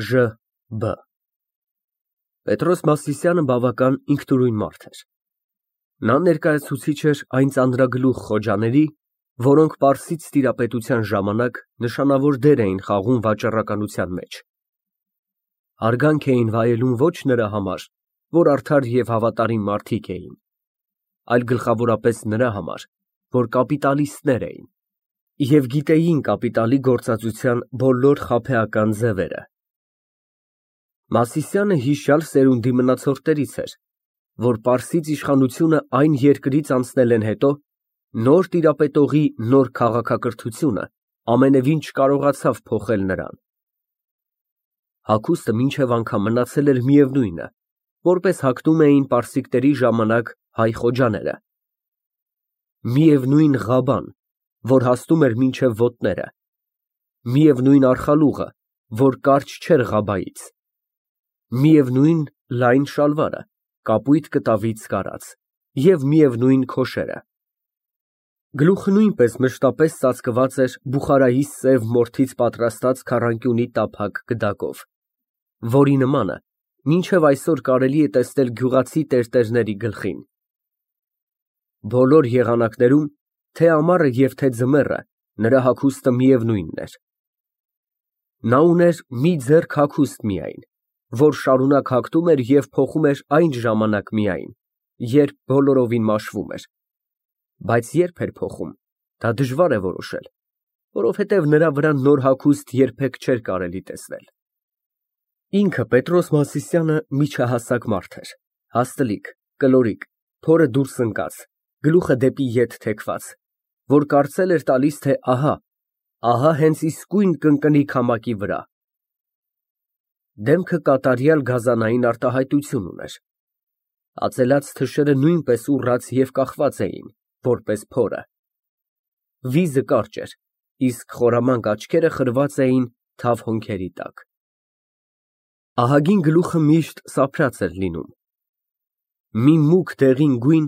Ժ.Բ. Պետրոս Մասիսյանը բավական ինքնուրույն մարդ էր։ Նա ներկայացուցիչ էր այն ծանրագլուխ խոջաների, որոնք Պարսից տիրապետության ժամանակ նշանավոր դեր էին խաղում վաճառականության մեջ։ Հարգանք էին վայելում ոչ նրա համար, որ արդար և հավատարիմ մարդիկ էին, այլ գլխավորապես նրա համար, որ կապիտալիստներ էին և գիտեին կապիտալի գործածության բոլոր խաբեական ձևերը։ Մասիսյանը հիշյալ սերունդի մնացորդներից էր, որ Պարսից իշխանությունը այն երկրից անցնել են հետո, նոր տիրապետողի նոր քաղաքակրթությունը ամենևին չկարողացավ փոխել նրան։ Հագուստը մինչև անգամ մնացել էր միևնույնը, որպես հագնում էին պարսիկների ժամանակ հայ խոջաները։ Միևնույն ղաբան, որ հասնում էր մինչև ոտները, միևնույն արխալուղը, որ կարճ չէր ղաբայից, միևնույն լայն շալվարը, կապույտ կտավից կարած, և միևնույն քոշերը։ Գլուխը նույնպես մշտապես ծածկված էր Բուխարայի սև մորթից պատրաստած քառանկյունի տափակ գդակով, որի նմանը մինչև այսօր կարելի է տեսնել գյուղացի տերտերների գլխին։ Բոլոր եղանակներում, թե ամառը և թե ձմեռը, նրա հագուստը միևնույնն էր։ Նա ուներ մի ձեռք հագուստ միայն, որ շարունակ հագնում էր և փոխում էր այն ժամանակ միայն, երբ բոլորովին մաշվում էր, բայց երբ էր փոխում, դա դժվար է որոշել, որովհետև նրա վրա նոր հագուստ երբեք չէր կարելի տեսնել։ Ինքը Պետրոս Մասիսյանը միջահասակ մարդ էր, հաստլիկ, կլորիկ, փորը դուրս ընկած, գլուխը դեպի ետ թեքված, որ կարծել էր տալիս, թե ահա հենց իսկույն կընկնի քամակի վրա։ Դեմքը կատարյալ գազանային արտահայտություն ուներ։ Ածելած թշերը նույնպես ուռած և կախված էին, որպես փորը։ Վիզը կարճ էր, իսկ խորամանկ աչքերը խրված էին թավ հոնքերի տակ։ Ահագին գլուխը միշտ սափրած էր լինում։ Մի մուգ դեղին գույն,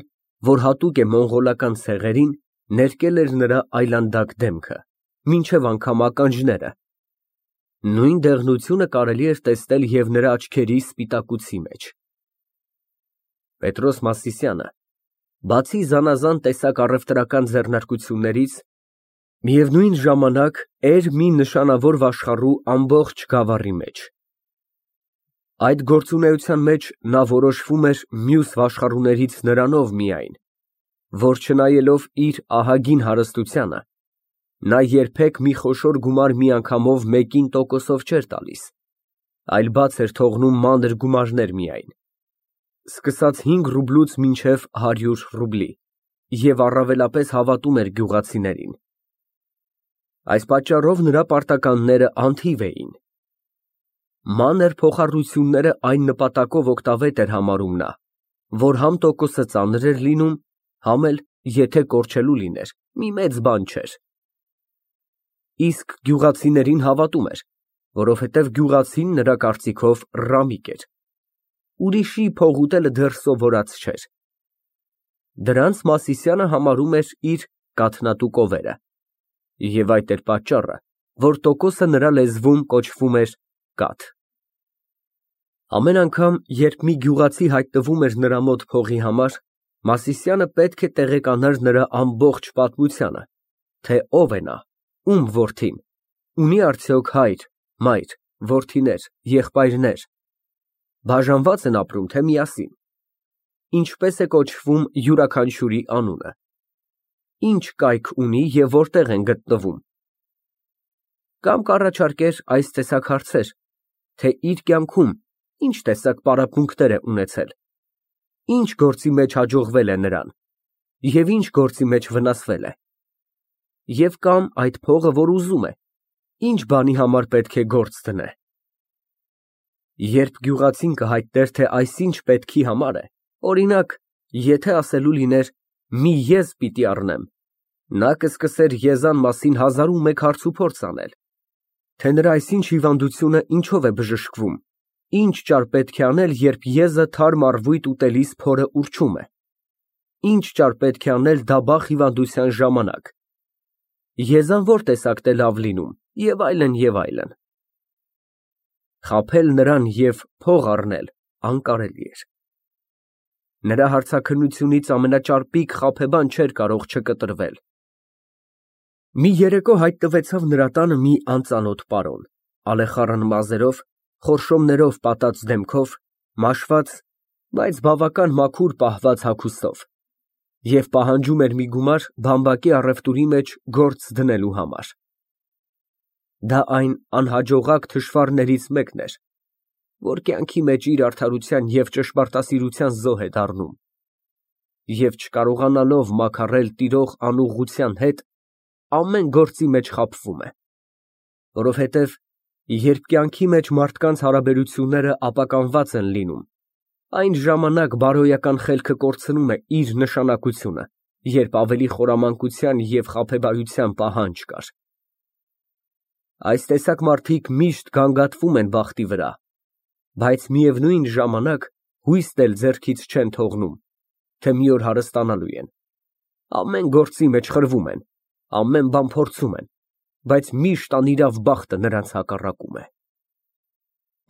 որ հատուկ է մոնղոլական ցեղերին, ներկել էր նրա այլանդակ դեմքը, մինչև անգամ ականջները։ Նույն դեղնությունը կարելի էր տեսնել և նրա աչքերի սպիտակուցի մեջ։ Պետրոս Մասիսյանը, բացի զանազան տեսակ առևտրական ձեռնարկություններից, միևնույն ժամանակ էր մի նշանավոր վաշխառու ամբողջ գավառի մեջ։ Այդ գործունեության մեջ նա որոշվում էր մյուս վաշխառուներից նրանով միայն, որ չնայելով իր ահագին հարստությանը, նա երբեք մի խոշոր գումար միանգամով մեկին տոկոսով չէր տալիս, այլ բաց էր թողնում մանր գումարներ միայն, սկսած 5 ռուբլուց մինչև 100 ռուբլի, և առավելապես հավատում էր գյուղացիներին։ Այս պատճառով նրա պարտականները անթիվ էին։ Մանր փոխառությունները այն նպատակով օգտավետ էր համարում նա, որ համ տոկոսը ծանր էր լինում, համ էլ, եթե կորչելու լիներ, մի մեծ բան չէր։ Իսկ գյուղացիներին հավատում էր, որովհետև գյուղացին նրա կարծիքով ռամիկ էր։ Ուրիշի փող ուտելը դեռ սովորած չէր։ Դրանց Մասիսյանը համարում էր իր կաթնատու կովերը, և այդ էր պատճառը, որ տոկոսը նրա լեզվում կոչվում էր կաթ։ Ամեն անգամ, երբ մի գյուղացի հայտնվում էր նրա մոտ փողի համար, Մասիսյանը պետք է տեղեկանար նրա ամբողջ պատմությունը, թե ով է նա, ում որդին, ունի արդյոք հայր, մայր, որդիներ, եղբայրներ, բաժանվա՞ծ են ապրում, թե միասին, ինչպես է կոչվում յուրաքանչյուրի անունը, ինչ կայք ունի և որտեղ են գտնվում։ Կամ կառաջարկեր այս տեսակ հարցեր, թե իր կյանքում ինչ տեսակ պարապմունքներ է ունեցել, ինչ գործի մեջ հաջողվել է նրան և ինչ գործի մեջ վնասվել է, և կամ այդ փողը, որ ուզում է, ինչ բանի համար պետք է գործ դնե։ Երբ գյուղացին կհայտներ, թե այսինչ պետքի համար է, օրինակ, եթե ասելու լիներ մի եզ պիտի առնեմ, նա կսկսեր եզան մասին 1001 հարցուփորձ անել, թե նրա այսինչ հիվանդությունը ինչով է բժշկվում, ինչ ճար պետք է անել, երբ եզը թարմ առվույտ ուտելիս փորը ուռչում է, ինչ ճար պետք է անել դաբախ հիվանդության ժամանակ, եզան որ տեսակն է լավ լինում, և այլն, և այլն։ Խաբել նրան և փող առնել անկարելի էր։ Նրա հարցաքննությունից ամենաճարպիկ խաբեբան չէր կարող չկտրվել։ Մի երեկո հայտնվեցավ նրա տանը մի անծանոթ պարոն, ալեխառն մազերով, խորշոմներով պատած դեմքով, մաշված, բայց բավական մաքուր պահված հագուստով, և պահանջում էր մի գումար բամբակի առևտուրի մեջ գործ դնելու համար։ Դա այն անհաջողակ թշվառներից մեկն էր, որ կյանքի մեջ իր արդարության և ճշմարտասիրության զոհ է դառնում և, չկարողանալով մաքարել տիրող անուղղության հետ, ամեն գործի մեջ խաբվում է, որովհետև երբ կյանքի մեջ մարդկանց հարաբերությունները ապականված են լինում, այն ժամանակ բարոյական խելքը կորցնում է իր նշանակությունը, երբ ավելի խորամանկության և խաբեբայության պահանջ կար։ Այս տեսակ մարդիկ միշտ գանգատվում են բախտի վրա, բայց միևնույն ժամանակ հույսն էլ ձեռքից չեն թողնում, թե մի օր հարստանալու են, ամեն գործի մեջ խրվում են, ամեն բան փորձում են, բայց միշտ անիրավ բախտը նրանց հակառակում է։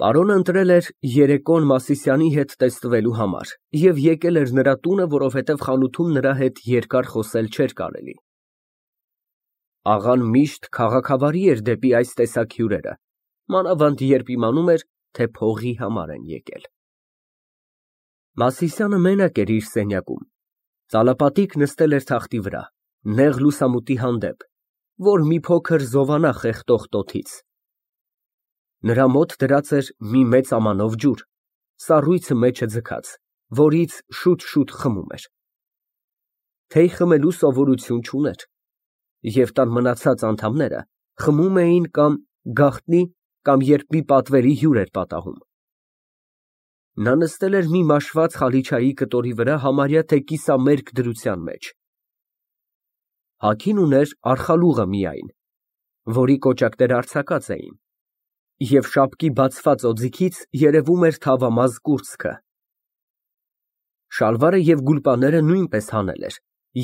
Պարոնը ընտրել էր երեկոն Մասիսյանի հետ տեսնվելու համար և եկել էր նրա տունը, որովհետև խանութում նրա հետ երկար խոսել չէր կարելի։ Աղան միշտ քաղաքավարի էր դեպի այս տեսակ հյուրերը, մանավանդ երբ իմանում էր, թե փողի համար են եկել։ Մասիսյանը մենակ էր իր սենյակում, ծալապատիկ նստել էր թախտի վրա, նեղ լուսամուտի հանդեպ, որ մի փոքր զովանա խեղդող տոթից։ Նրա մոտ դրած էր մի մեծ ամանով ջուր, սառույցը մեջը ձգած, որից շուտ խմում էր։ Թեյ խմելու սովորություն չուներ, և տան մնացած անդամները խմում էին կամ գաղտնի, կամ երբ մի պատվերի հյուր էր պատահում։ Նա նստել էր մի մաշված խալիչայի կտորի վրա համարյա թե կիսամերկ դրության մեջ։ Հագին ուներ արխալուղը միայն, որի կոճակները արձակած էին, և շապկի բացված օձիքից երևում էր թավամազ կուրծքը։ Շալվարը և գուլպաները նույնպես հանել էր,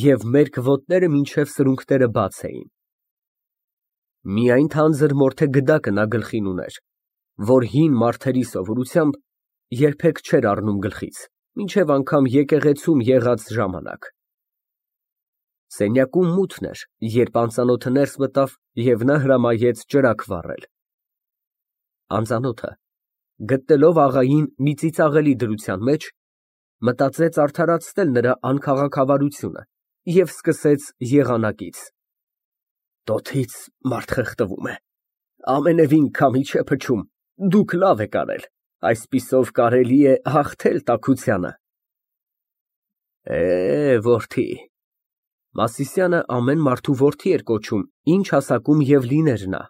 և մերկ ոտները մինչև սրունքները բաց էին։ Միայն թանձր մորթե գդակը նա գլխին ուներ, որ հին մարդերի սովորությամբ երբեք չէր առնում գլխից, մինչև անգամ եկեղեցում եղած ժամանակ։ Սենյակում մութն էր, երբ անծանոթը ներս մտավ և նա հրամայեց ճրագ վառել։ Անծանոթը, գտնելով աղային մի ծիծաղելի դրության մեջ, մտածեց արդարացնել նրա անքաղաքավարությունը և սկսեց եղանակից. Տոթից մարդ խեղդվում է, ամենևին քամի չէ փչում, դուք լավ եք արել, այսպիսով կարելի է հաղթել տաքությանը։ Որդի, Մասիսյանը ամեն մարդու որդի էր կոչում, ինչ հասակում և լիներ նա։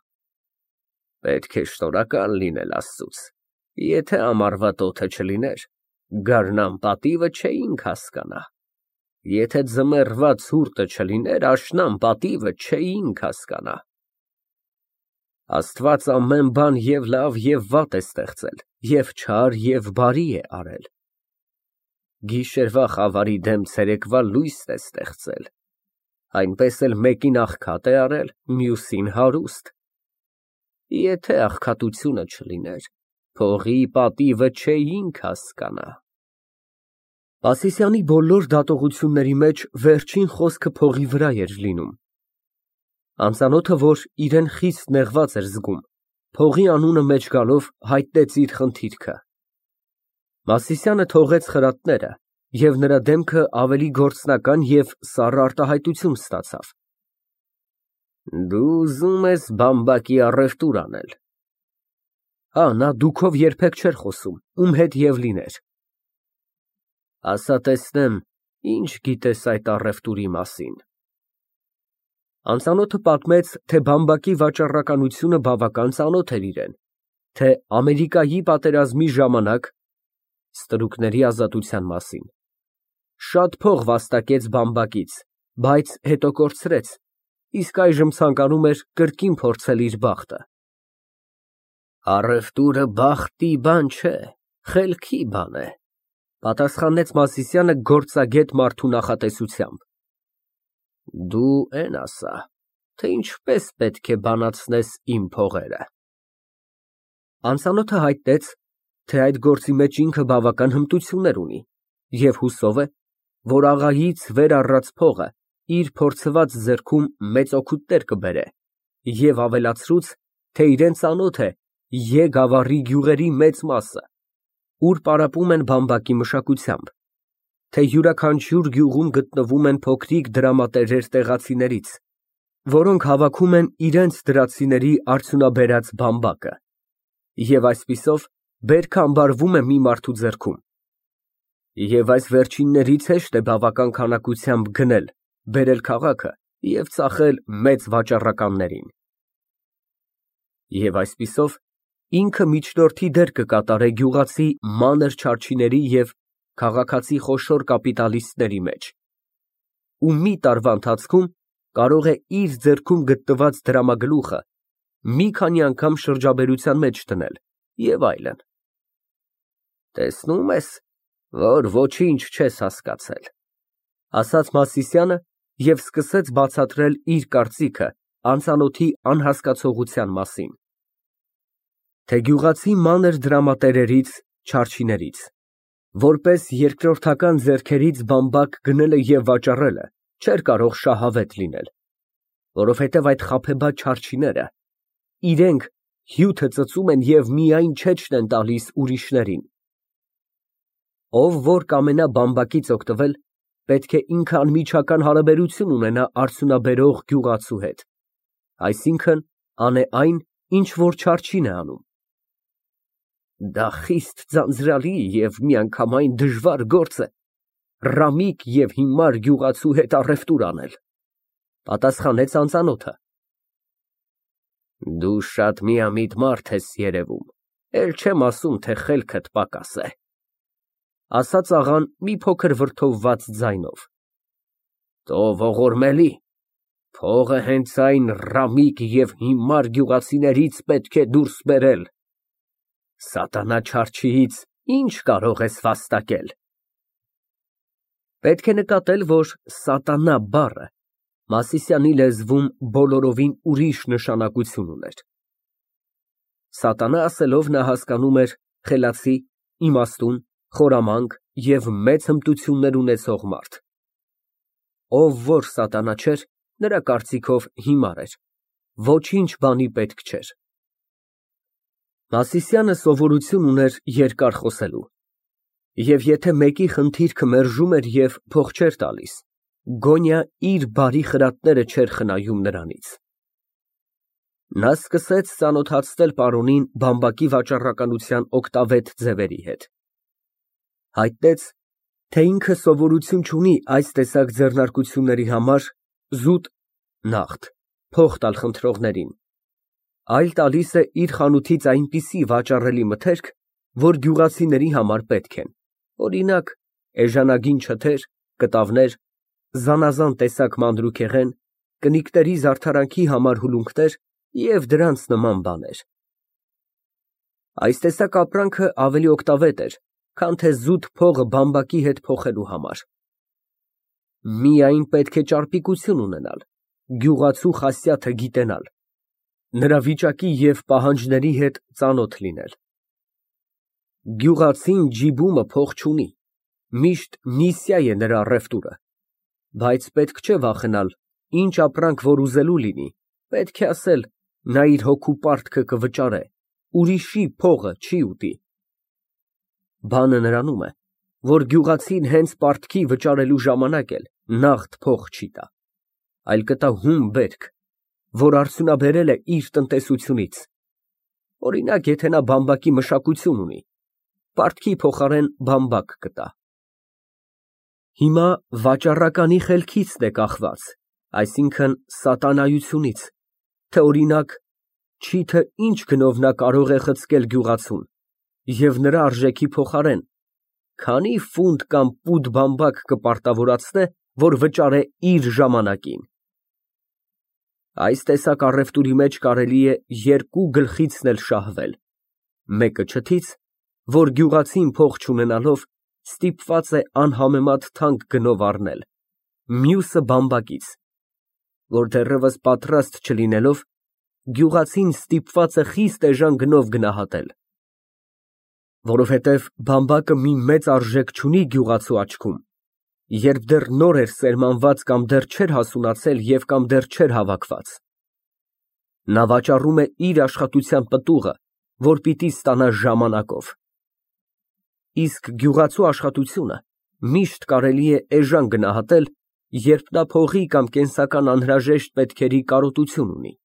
Պետք է շնորհակալ լինել Աստծուց, եթե ամառվա տոթը չլիներ, գարնան պատիվը չէինք հասկանա, եթե ձմեռվա ցուրտը չլիներ, աշնան պատիվը չէինք հասկանա։ Աստված ամեն բան և լավ և վատ է ստեղծել, և չար և բարի է արել։ Գիշերվա խավարի դեմ ցերեկվա լույսն է ստեղծել, այնպես էլ մեկին աղքատ է արել, մյուսին հարուստ։ Եթե աղքատությունը չլիներ, փողի պատիվը չէինք հասկանա։ Մասիսյանի բոլոր դատողությունների մեջ վերջին խոսքը փողի վրա էր լինում։ Անծանոթը, որ իրեն խիստ նեղված էր զգում, փողի անունը մեջ գալով հայտնեց իր խնդիրքը։ Մասիսյանը թողեց խրատները, և նրա դեմքը ավելի գործնական և սառը արտահայտություն ստացավ։ Դու ուզում ես բամբակի առևտուր անել։ Հա, նա դուքով երբեք չէր խոսում, ում հետ և լիներ։ Ասա տեսնեմ, ինչ գիտես այդ առևտուրի մասին։ Անծանոթը պատմեց, թե բամբակի վաճառականությունը բավական ծանոթ էր իրան, թե Ամերիկայի պատերազմի ժամանակ (ստրուկների ազատության մասին) շատ փող վաստակեց բամբակից, բայց հետո կորցրեց, իսկ այժմ ցանկանում էր կրկին փորձել իր բախտը։ Առևտուրը բախտի բան չէ, խելքի բան է, պատասխանեց Մասիսյանը գործագետ մարդու նախատեսությամբ։ Դու էն ասա, թե ինչպես պետք է բանացնես իմ փողերը։ Անծանոթը հայտնեց, թե այդ գործի մեջ ինքը բավական հմտություններ ունի և հուսով է, որ աղայից վեր առած փողը իր փորձված ձեռքում մեծ օգուտներ կբերե, և ավելացրուց, թե իրան ծանոթ է Ե գավառի գյուղերի մեծ մասը, ուր պարապում են բամբակի մշակությամբ, թե յուրաքանչյուր գյուղում գտնվում են փոքրիկ դրամատերեր տեղացիներից, որոնք հավաքում են իրենց դրացիների արդյունաբերած բամբակը, և այսպիսով բերքը ամբարվում է մի մարդու ձեռքում, և այս վերջիններից հեշտ է բավական քանակությամբ գնել, բերել քաղաքը և ծախել մեծ վաճառականներին։ Եվ այսպիսով ինքը միջնորդի դեր կկատարե գյուղացի մանր չարչիների և քաղաքացի խոշոր կապիտալիստների մեջ, ու մի տարվա ընթացքում կարող է իր ձեռքում գտնված դրամագլուխը մի քանի անգամ շրջաբերության մեջ դնել և այլն։ Տեսնում ես, որ ոչինչ չես հասկացել, ասաց Մասիսյանը և սկսեց բացատրել իր կարծիքը անծանոթի անհասկացողության մասին, թե գյուղացի մանր դրամատերերից, չարչիներից, որպես երկրորդական ձեռքերից բամբակ գնելը և վաճառելը չէր կարող շահավետ լինել, որովհետև այդ խաբեբադ չարչիները իրենք հյութը ծծում են և միայն չեչն են տալիս ուրիշներին։ Ով որ կամենա բամբակից օգտվել, պետք է ինքը անմիջական հարաբերություն ունենա արդյունաբերող գյուղացու հետ, այսինքն՝ անե այն, ինչ որ չարչին է անում։ Դա խիստ ձանձրալի և միանգամայն դժվար գործ է ռամիկ և հիմար գյուղացու հետ առևտուր անել, պատասխանեց անծանոթը։ Դու շատ միամիտ մարդ ես երևում, էլ չեմ ասում, թե խելքդ պակաս է, ասաց աղան մի փոքր վրդովված ձայնով։ Տո ողորմելի, փողը հենց այն ռամիկ և հիմար գյուղացիներից պետք է դուրս բերել, սատանա չարչիից ինչ կարող ես վաստակել։ Պետք է նկատել, որ սատանա բառը Մասիսյանի լեզվում բոլորովին ուրիշ նշանակություն ուներ։ Սատանա ասելով նա հասկանում էր խելացի, իմաստուն, խորամանկ և մեծ հմտություններ ունեցող մարդ։ Ով որ սատանա չէր, նրա կարծիքով հիմար էր, ոչինչ բանի պետք չէր։ Մասիսյանը սովորություն ուներ երկար խոսելու, և եթե մեկի խնդիրքը մերժում էր և փող չէր տալիս, գոնյա իր բարի խրատները չէր խնայում նրանից։ Նա սկսեց ծանոթացնել պարոնին բամբակի վաճառականության օգտավետ ձևերի հետ։ Հայտնեց, թե ինքը սովորություն չունի այս տեսակ ձեռնարկությունների համար զուտ (նաղդ) փող տալ խնդրողներին, այլ տալիս է իր խանութից այնպիսի վաճառելի մթերք, որ գյուղացիների համար պետք են, օրինակ, էժանագին չթեր, կտավներ, զանազան տեսակ մանրուքեղեն, կնիկների զարդարանքի համար հուլունքներ և դրանց նման բաներ։ Այս տեսակ ապրանքը ավելի օգտավետ էր, քան թե զուտ փողը բամբակի հետ փոխելու համար։ Միայն պետք է ճարպիկություն ունենալ, գյուղացու խասյաթը գիտենալ, նրա վիճակի և պահանջների հետ ծանոթ լինել։ Գյուղացին ջիբումը փող չունի, միշտ նիսյա է նրա առևտուրը, բայց պետք չէ վախենալ, ինչ ապրանք որ ուզելու լինի, պետք է ասել, նա իր հոգու պարտքը կվճարե, ուրիշի փողը չի ուտի։ Բանը նրանում է, որ գյուղացին հենց պարտքի վճարելու ժամանակ էլ նաղդ փող չի տա, այլ կտա հում բերք, որ արդյունաբերել է իր տնտեսությունից, օրինակ, եթե նա բամբակի մշակություն ունի, պարտքի փոխարեն բամբակ կտա։ Հիմա վաճառականի խելքիցն է կախված, այսինքն սատանայությունից, թե օրինակ, չի թե ինչ գնով նա կարող է խցկել գյուղացուն և նրա արժեքի փոխարեն քանի ֆունտ կամ պուդ բամբակ կպարտավորացնե, որ վճարե իր ժամանակին։ Այս տեսակ առևտուրի մեջ կարելի է երկու գլխիցն էլ շահվել, մեկը չթից, որ գյուղացին փող չունենալով ստիպված է անհամեմատ թանկ գնով առնել, մյուսը բամբակից, որ դեռևս պատրաստ չլինելով գյուղացին ստիպված է խիստ էժան գնով գնահատել։ Որովհետև բամբակը մի մեծ արժեք չունի գյուղացու աչքում, երբ դեռ նոր էր սերմանված կամ դեռ չէր հասունացել և կամ դեռ չէր հավաքված։ Նա վաճառում է իր աշխատության պտուղը, որ պիտի ստանա ժամանակով։ Իսկ գյուղացու աշխատությունը միշտ կարելի է էժան գնահատել, երբ նա փողի կամ կենսական անհրաժեշտ պետքերի կարոտություն ունի։